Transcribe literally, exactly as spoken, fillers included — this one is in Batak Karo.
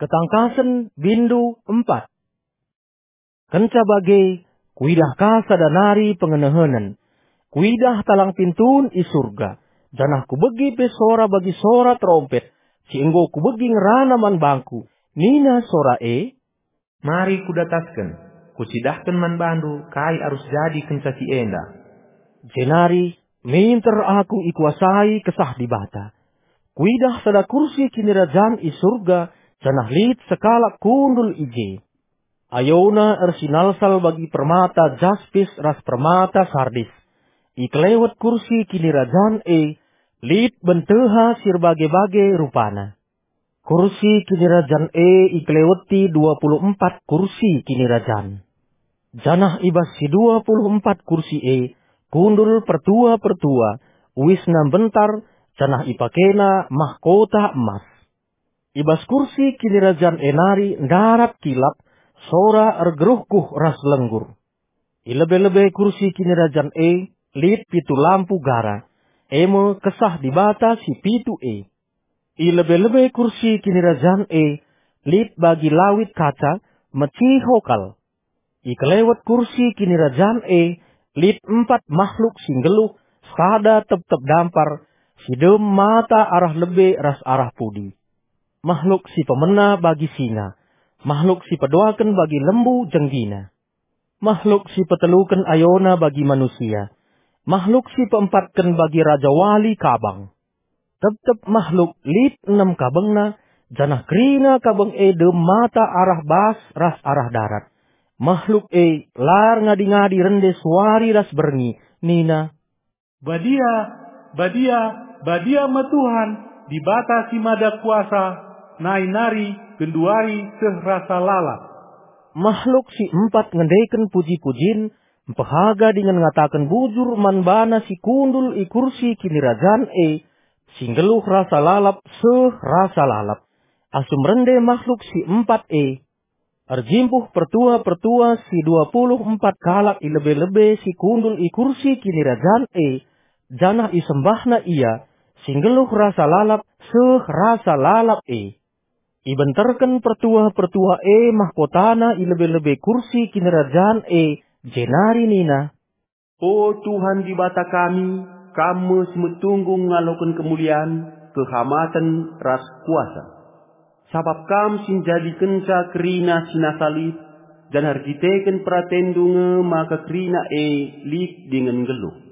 Ketangkasen, bindu empat. Kenca bage, kuidah ka sada nari pengenehenen. Kuidah talang pintun i Surga, janah kubegi pe sora bagi sora terompet, si enggo kubegi ngerana man bangku. Nina sora e, "Mari kudatasken, kucidahken man bandu kai arus jadi kenca si enda." Jenari minter aku ikuasai Kesah Dibata. Kuidah sada kursi kinirajan i Surga, janah lit sekalak kundul i je. Ayona ersinalsal bagi permata jaspis ras permata sardis. I kelewet kursi kinirajan e, lit benteha si erbage-bage rupana. Kursi kinirajan e ikeleweti dua puluh empat kursi kinirajan. Janah i bas si dua puluh empat kursi e kundul pertua-pertua, uisna mbentar, janah ipakena mahkota emas. I bas kursi kinirajan e nari ndarat kilap, sora ergeruhkuh ras lenggur. I lebe-lebe kursi kinirajan e lit pitu lampu gara, e me Kesah Dibata si pitu e. I lebe-lebe kursi kinirajan e lit bagi lawit kaca, meciho kal. I kelewet kursi kinirajan e lit empat mahluk si nggeluh, sada tep-tep dampar, si dem mata arah lebe ras arah pudi. Mahluk si pemena bagi singa, mahluk si peduaken bagi lembu jenggina, mahluk si peteluken ayona bagi manusia, mahluk si peempatken bagi rajawali kabang. Tep-tep mahluk lit enem kabengna, janah kerina kabeng e dem mata arah bas ras arah darat. Mahluk e la erngadi-ngadi rende suari ras berngi, nina, "Badia, badia, badia me Tuhan, Dibata si Mada Kuasa, nai nari, genduari seh rasa lalap." Mahluk si empat ngendeken puji-pujin, mpehaga dingen ngataken bujur man bana si kundul i kursi kinirajan e, si nggeluh rasa lalap seh rasa lalap. Asum rende mahluk si empat e, erjimpuh pertua-pertua si dua puluh empat kalak i lebe-lebe si kundul i kursi kinirajan e, janah isembahna ia, si nggeluh rasa lalap seh rasa lalap e. Ibenterken pertua-pertua e mahkotana i lebe-lebe kursi kinirajan e, jenari nina, "O Tuhan Dibata kami, Kam me si metunggung ngaloken kemulian, kehamaten, ras kuasa. Sabap Kam si njadikenca kerina si nasa lit, janah erkiteken peratenNdu nge maka kerina e lit dingen nggeluh."